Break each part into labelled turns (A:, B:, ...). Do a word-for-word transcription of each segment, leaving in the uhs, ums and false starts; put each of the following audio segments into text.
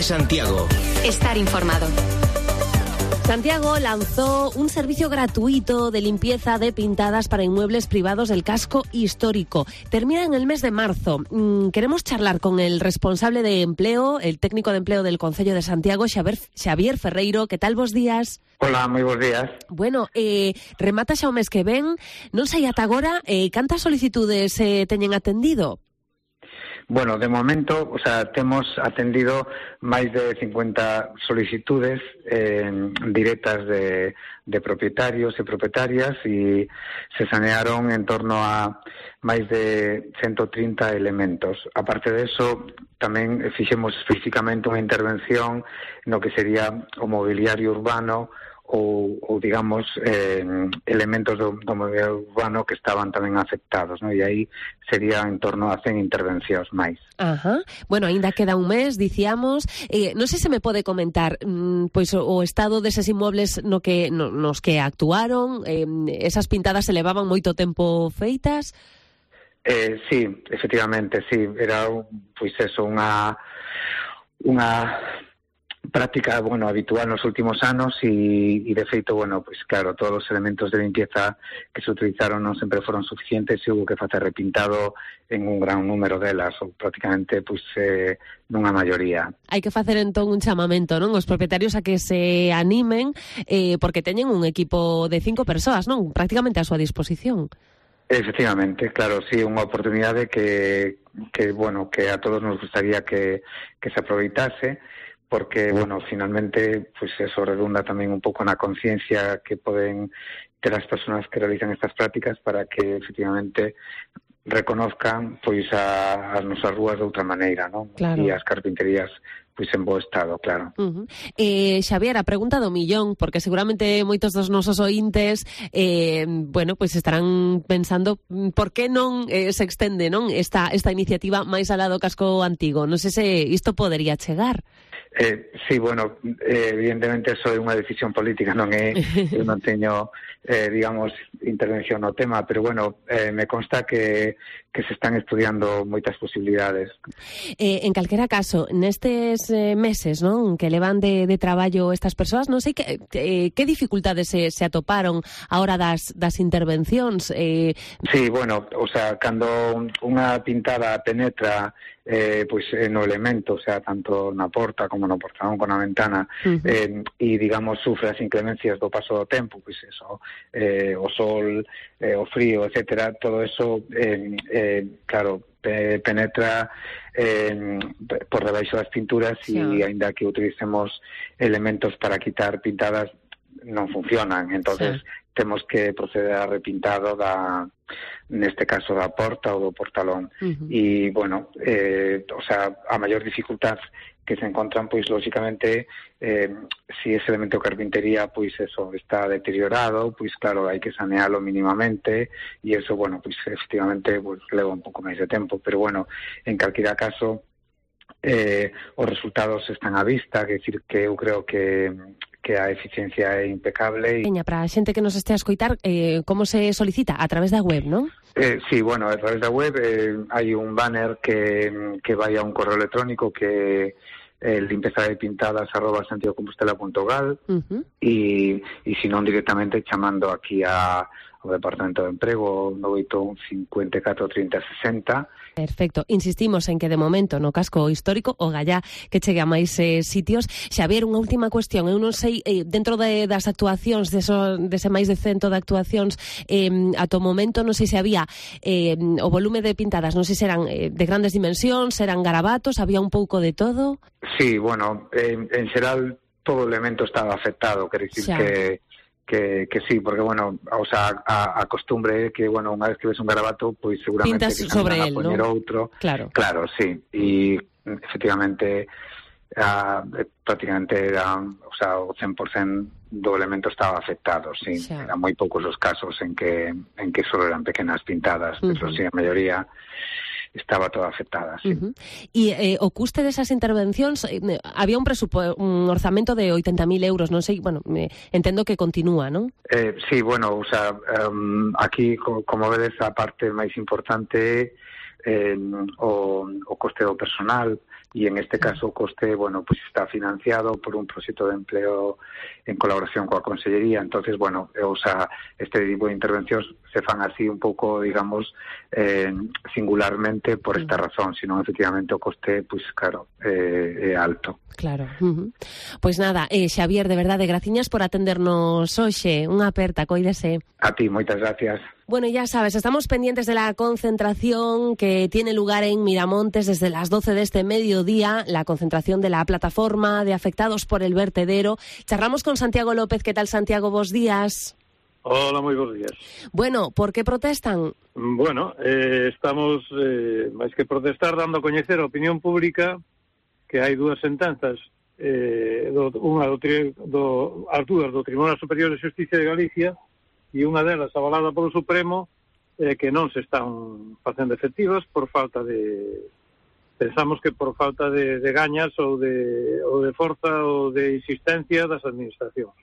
A: de Santiago.
B: Estar informado.
C: Santiago lanzó un servicio gratuito de limpieza de pintadas para inmuebles privados del casco histórico. Termina en el mes de marzo. Mm, queremos charlar con el responsable de empleo, el técnico de empleo del Concello de Santiago, Xavier, Xavier Ferreiro. Que tal, vos días?
D: Hola, moi bons días.
C: Bueno, eh, remata xa o mes que ven. Non sei ata agora eh, cantas solicitudes eh, teñen atendido?
D: Bueno, de momento, o sea, temos atendido máis de cincuenta solicitudes eh, directas de, de propietarios e propietarias e se sanearon en torno a máis de ciento trinta elementos. Aparte de eso, tamén fixemos físicamente unha intervención no que sería o mobiliario urbano ou, ou digamos, eh, elementos do, do mobiliario urbano que estaban tamén afectados, ¿no? E aí sería en torno a cen intervencións máis.
C: Ajá. Bueno, aínda queda un mes, dicíamos. Eh, non sei se me pode comentar mmm, pois o, o estado deses inmuebles no que, no, nos que actuaron, eh, esas pintadas se levaban moito tempo feitas?
D: Eh, sí, efectivamente, sí. Era, pois eso, unha... unha práctica, bueno, habitual nos últimos anos e, e de feito, bueno, pues claro, todos os elementos de limpieza que se utilizaron non sempre foron suficientes e hubo que facer repintado en un gran número delas, ou prácticamente, pues, eh, nunha maioría.
C: Hai que facer entón un chamamento, non? Os propietarios a que se animen, eh, porque teñen un equipo de cinco persoas, non? Prácticamente a súa disposición.
D: Efectivamente, claro, sí, unha oportunidade que, que bueno, que a todos nos gustaría que, que se aproveitase, porque, bueno, finalmente, pues eso redunda tamén un pouco na conciencia que poden ter as persoas que realizan estas prácticas para que, efectivamente, reconozcan, pois, a, as nosas rúas de outra maneira, non?
C: Claro.
D: E as carpinterías, pois, en bo estado, claro.
C: Uh-huh. Eh, Xavier, a pregunta do millón, porque seguramente moitos dos nosos ointes, eh, bueno, pois estarán pensando por que non eh, se extende, non, esta, esta iniciativa máis alá do casco antigo. Non sei se isto podería chegar.
D: Eh, sí, bueno, eh, evidentemente eso é unha decisión política, non é, eu non teño, eh, digamos, intervención no tema, pero bueno, eh, me consta que, que se están estudiando moitas posibilidades.
C: Eh, en calquera caso, nestes eh, meses, non, que levan de, de traballo estas persoas, non sei que, eh, que dificultades se, se atoparon a hora das, das intervencións. Eh...
D: Sí, bueno, o sea, cando unha pintada penetra eh, pois pues, no elemento, o sea, tanto na porta como no portalón con a ventana, uh-huh. eh, e, digamos, sufre as inclemencias do paso do tempo, pois pues eso, eh, o sol, eh, o frío, etcétera, todo eso, eh, eh, claro, pe- penetra eh, por debaixo das pinturas e, sí. Aínda que utilicemos elementos para quitar pintadas, non funcionan, entonces sí. Temos que proceder a repintado da, neste caso da porta ou do portalón. Uh-huh. E, bueno, eh, o sea, a maior dificultad que se encontran, pois, lógicamente, eh, si ese elemento de carpintería, pois, eso, está deteriorado, pois, claro, hai que sanealo mínimamente, e eso, bueno, pois, efectivamente, pois, leva un pouco máis de tempo, pero, bueno, en calquera caso, eh, os resultados están á vista, que decir que eu creo que que a eficiencia é impecable. E...
C: Para a xente que nos este a escoitar, eh, como se solicita? A través da web, non?
D: Eh, sí, bueno, a través da web eh, hai un banner que, que vai a un correo electrónico que é eh, limpeza de pintadas arroba santiagocompostela punto gal uh-huh. e, e se non directamente chamando aquí a o Departamento de Emprego no oito un cincuenta e catro trinta sesenta.
C: Perfecto. Insistimos en que de momento no casco histórico o gallá que chegue a máis eh, sitios. Xavier, unha última cuestión. Eu non sei, eh, dentro de, das actuacións, de eso, dese máis de cento de actuacións, eh, ata o momento non sei se había eh, o volume de pintadas, non sei se eran eh, de grandes dimensións, eran garabatos, había un pouco de todo.
D: Sí, bueno, eh, en xeral todo elemento estaba afectado, quer dicir xa. que Que, que sí, porque, bueno, o sea, a, a costumbre é que, bueno, unha vez que ves un garabato, pois seguramente
C: pintas sobre
D: a
C: él,
D: poñer
C: ¿no?
D: outro.
C: Claro.
D: Claro, sí. E, efectivamente, a, prácticamente era, o sea, o cen por cento do elemento estaba afectado, sí. Xa. Eran moi poucos os casos en que en que só eran pequenas pintadas, uh-huh. Pero sí, a maioría estaba toda afectada, sí.
C: Uh-huh. E eh, o custe desas intervencións, eh, había un presupuesto, un orzamento de oitenta mil euros, non sei, bueno, me, entendo que continúa, non?
D: Eh, sí, bueno, o sea, um, aquí, co, como vedes, a parte máis importante eh, o, o coste do personal, e en este caso o coste, bueno, pues está financiado por un proxecto de empleo en colaboración coa Consellería. Entonces, bueno, o sea, este tipo de intervencións se fan así un pouco, digamos, eh, singularmente por esta razón, senón efectivamente o coste, pues claro, eh, é alto.
C: Claro. Uh-huh. Pois nada, eh, Xavier, de verdade, graciñas por atendernos hoxe. Unha aperta, coídese.
D: A ti, moitas gracias.
C: Bueno, ya sabes, estamos pendientes de la concentración que tiene lugar en Miramontes desde las doce de este mediodía, la concentración de la plataforma de afectados por el vertedero. Charlamos con Santiago López. ¿Qué tal, Santiago? Bos días.
A: Hola, moi bons días.
C: Bueno, por que protestan?
A: Bueno, eh, estamos, eh, máis que protestar, dando a coñecer a opinión pública que hai dúas sentenzas, eh, do, unha do, do, as dúas do Tribunal Superior de Xusticia de Galicia e unha delas avalada polo Supremo, eh, que non se están facendo efectivas por falta de... Pensamos que por falta de, de gañas ou de, ou de forza ou de insistencia das administracións.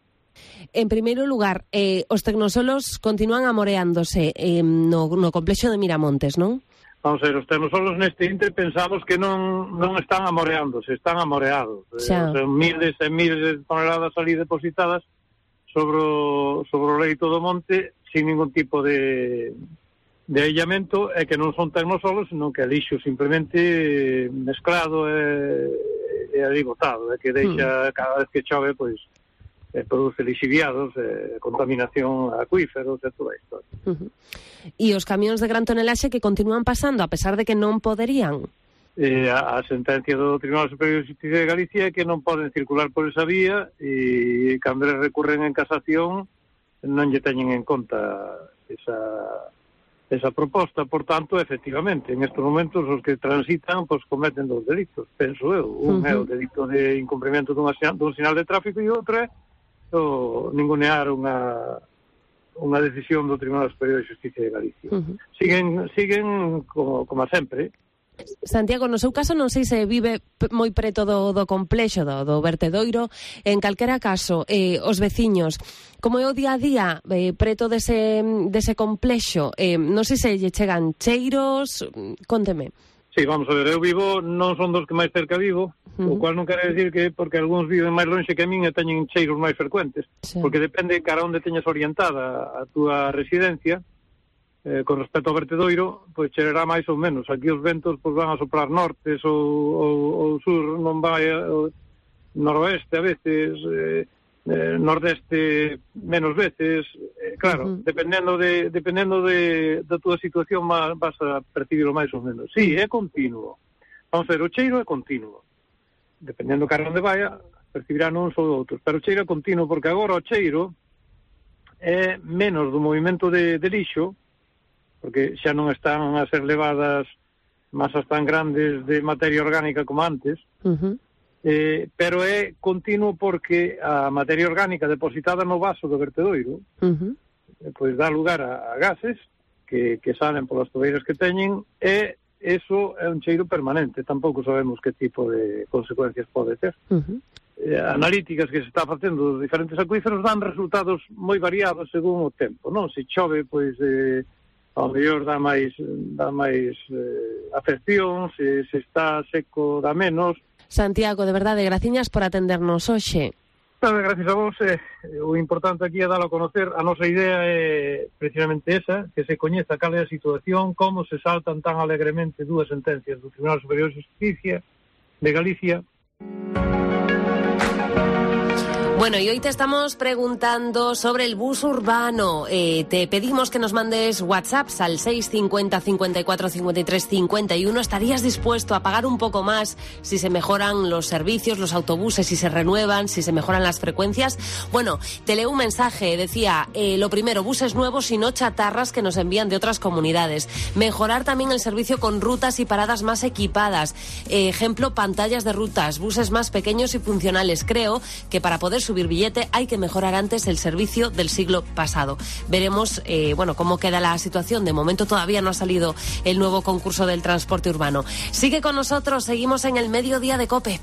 C: En primeiro lugar, eh, os tecnosolos continúan amoreándose eh, no, no complexo de Miramontes, non?
A: Vamos a ver, os tecnosolos neste intre pensamos que non non están amoreándose, están amoreados.
C: Xa.
A: Eh, son miles e miles de toneladas ali depositadas sobre o, sobre o leito do monte sin ningún tipo de, de aillamento, e que non son tecnosolos, senón que é lixo simplemente mezclado e, e ali botado, e que deixa, mm. cada vez que chove, pois, eh, produce lixiviados, eh, contaminación acuíferos e toda a historia.
C: Uh-huh. E os camións de gran tonelaxe que continúan pasando a pesar de que non poderían?
A: Eh, a, a sentencia do Tribunal Superior de Xusticia de Galicia é que non poden circular por esa vía, e cando recurren en casación non lle teñen en conta esa, esa proposta. Por tanto, efectivamente, en estes momentos os que transitan pois cometen dos delitos, penso eu. Un uh-huh. é o delito de incumprimento dun, dun sinal de tráfico, e outro é o ningunear unha unha decisión do Tribunal Superior de Xusticia de Galicia. Uh-huh. Siguen siguen como, como sempre.
C: Santiago, no seu caso non sei se vive moi preto do, do complexo do, do vertedoiro. En calquera caso, eh, os veciños, como é o día a día eh, preto dese, dese complexo, eh, non sei se lle chegan cheiros, cónteme.
A: Sí, vamos a ver, eu vivo, non son dos que máis cerca vivo, uh-huh. o cual non quere decir que porque algúns viven máis lonxe que a min e teñen cheiros máis frecuentes, sí. porque depende cara onde teñas orientada a túa residencia. Eh, con respecto ao vertedoiro, pois cheirará máis ou menos. Aquí os ventos pois van a soprar nortes ou, ou, ou sur, non vai o noroeste a veces, eh, eh, nordeste menos veces, eh, claro, uh-huh. dependendo de dependendo de da túa situación vas a percibirlo máis ou menos. Sí, é continuo. Vamos a ver, o cheiro é continuo. Dependendo cara onde vaya, percibirán uns ou outros, pero o cheiro é continuo porque agora o cheiro é menos do movimento de, de lixo, porque xa non están a ser levadas masas tan grandes de materia orgánica como antes, uh-huh. eh, pero é continuo porque a materia orgánica depositada no vaso do vertedoiro uh-huh. eh, pois dá lugar a, a gases que, que salen polas tobeiras que teñen, e eso é un cheiro permanente. Tampouco sabemos que tipo de consecuencias pode ter. Uh-huh. Eh, analíticas que se está facendo dos diferentes acuíferos dan resultados moi variados según o tempo, non? Se chove, pois... Eh, ao mellor dá máis dá máis eh, afección, se, se está seco dá menos.
C: Santiago, de verdade, graciñas por atendernos hoxe.
A: Claro, gracias a vos. Eh, o importante aquí é dalo a conocer. A nosa idea é precisamente esa, que se coñeza cal é a situación, como se saltan tan alegremente dúas sentencias do Tribunal Superior de Justicia de Galicia.
C: Bueno, y hoy te estamos preguntando sobre el bus urbano. Eh, te pedimos que nos mandes WhatsApps al seis cincuenta, cincuenta y cuatro, cincuenta y tres, cincuenta y uno. ¿Estarías dispuesto a pagar un poco más si se mejoran los servicios, los autobuses, si se renuevan, si se mejoran las frecuencias? Bueno, te leo un mensaje. Decía, eh, lo primero, buses nuevos y no chatarras que nos envían de otras comunidades. Mejorar también el servicio con rutas y paradas más equipadas. Eh, ejemplo, pantallas de rutas, buses más pequeños y funcionales. Creo que para poder subir billete hay que mejorar antes el servicio del siglo pasado. Veremos eh, bueno, cómo queda la situación. De momento todavía no ha salido el nuevo concurso del transporte urbano. Sigue con nosotros, seguimos en el Mediodía de COPE.